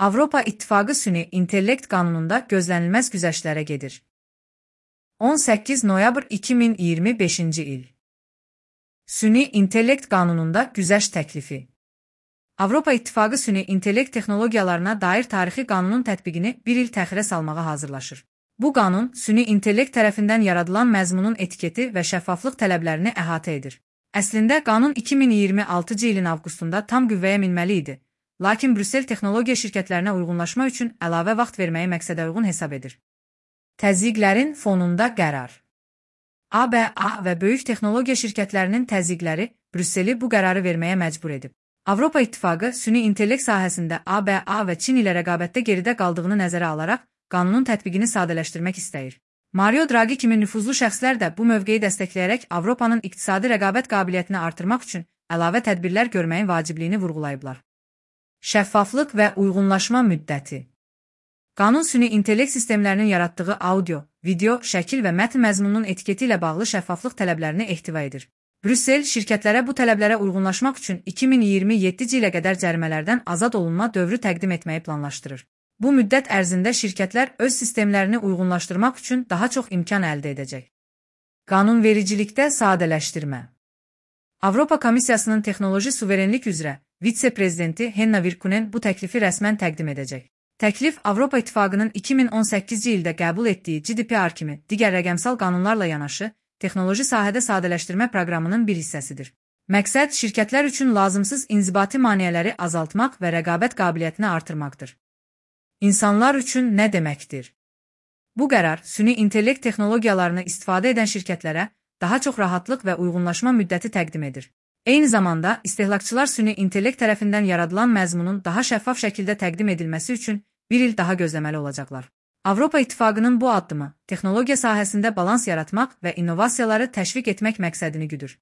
Avropa İttifaqı süni intellekt qanununda gözlənilməz güzəştlərə gedir. 18 noyabr 2025-ci il. Süni intellekt qanununda güzəşt təklifi. Avropa İttifaqı süni intellekt texnologiyalarına dair tarixi qanunun tətbiqini bir il təxirə salmağa hazırlaşır. Bu qanun, süni intellekt tərəfindən yaradılan məzmunun etiketi və şəffaflıq tələblərini əhatə edir. Əslində, qanun 2026-cı ilin avqustunda tam qüvvəyə minməli idi. Lakin Brüssel texnologiya şirkətlərinə uyğunlaşma üçün əlavə vaxt verməyi məqsədə uyğun hesab edir. Təzyiqlərin fonunda qərar. ABA və böyük texnologiya şirkətlərinin təzyiqləri Brüsseli bu qərarı verməyə məcbur edib. Avropa İttifaqı süni intellekt sahəsində ABA və Çin ilə rəqabətdə geridə qaldığını nəzərə alaraq qanunun tətbiqini sadələşdirmək istəyir. Mario Draghi kimi nüfuzlu şəxslər də bu mövqeyi dəstəkləyərək Avropanın iqtisadi rəqabət qabiliyyətini artırmaq üçün əlavə tədbirlər görməyin vacibliyini vurğulayıblar. Şəffaflıq və uyğunlaşma müddəti. Qanun süni intellekt sistemlərinin yaratdığı audio, video, şəkil və mətn məzmununun etiketi ilə bağlı şəffaflıq tələblərini ehtiva edir. Brüssel şirkətlərə bu tələblərə uyğunlaşmaq üçün 2027-ci ilə qədər cərimələrdən azad olunma dövrü təqdim etməyi planlaşdırır. Bu müddət ərzində şirkətlər öz sistemlərini uyğunlaşdırmaq üçün daha çox imkan əldə edəcək. Qanunvericilikdə sadələşdirmə. Avropa Komissiyasının texnoloji suverenlik üzrə vitse-prezidenti Henna Virkkunen bu təklifi rəsmən təqdim edəcək. Təklif Avropa İttifaqının 2018-ci ildə qəbul etdiyi GDPR kimi digər rəqəmsal qanunlarla yanaşı, texnoloji sahədə sadələşdirmə proqramının bir hissəsidir. Məqsəd şirkətlər üçün lazımsız inzibati maneələri azaltmaq və rəqabət qabiliyyətini artırmaqdır. İnsanlar üçün nə deməkdir? Bu qərar süni intellekt texnologiyalarını istifadə edən şirkətlərə daha çox rahatlıq və uyğunlaşma müddəti təqdim edir. Eyni zamanda, istehlakçılar süni intellekt tərəfindən yaradılan məzmunun daha şəffaf şəkildə təqdim edilməsi üçün bir il daha gözləməli olacaqlar. Avropa İttifaqının bu addımı, texnologiya sahəsində balans yaratmaq və innovasiyaları təşviq etmək məqsədini güdür.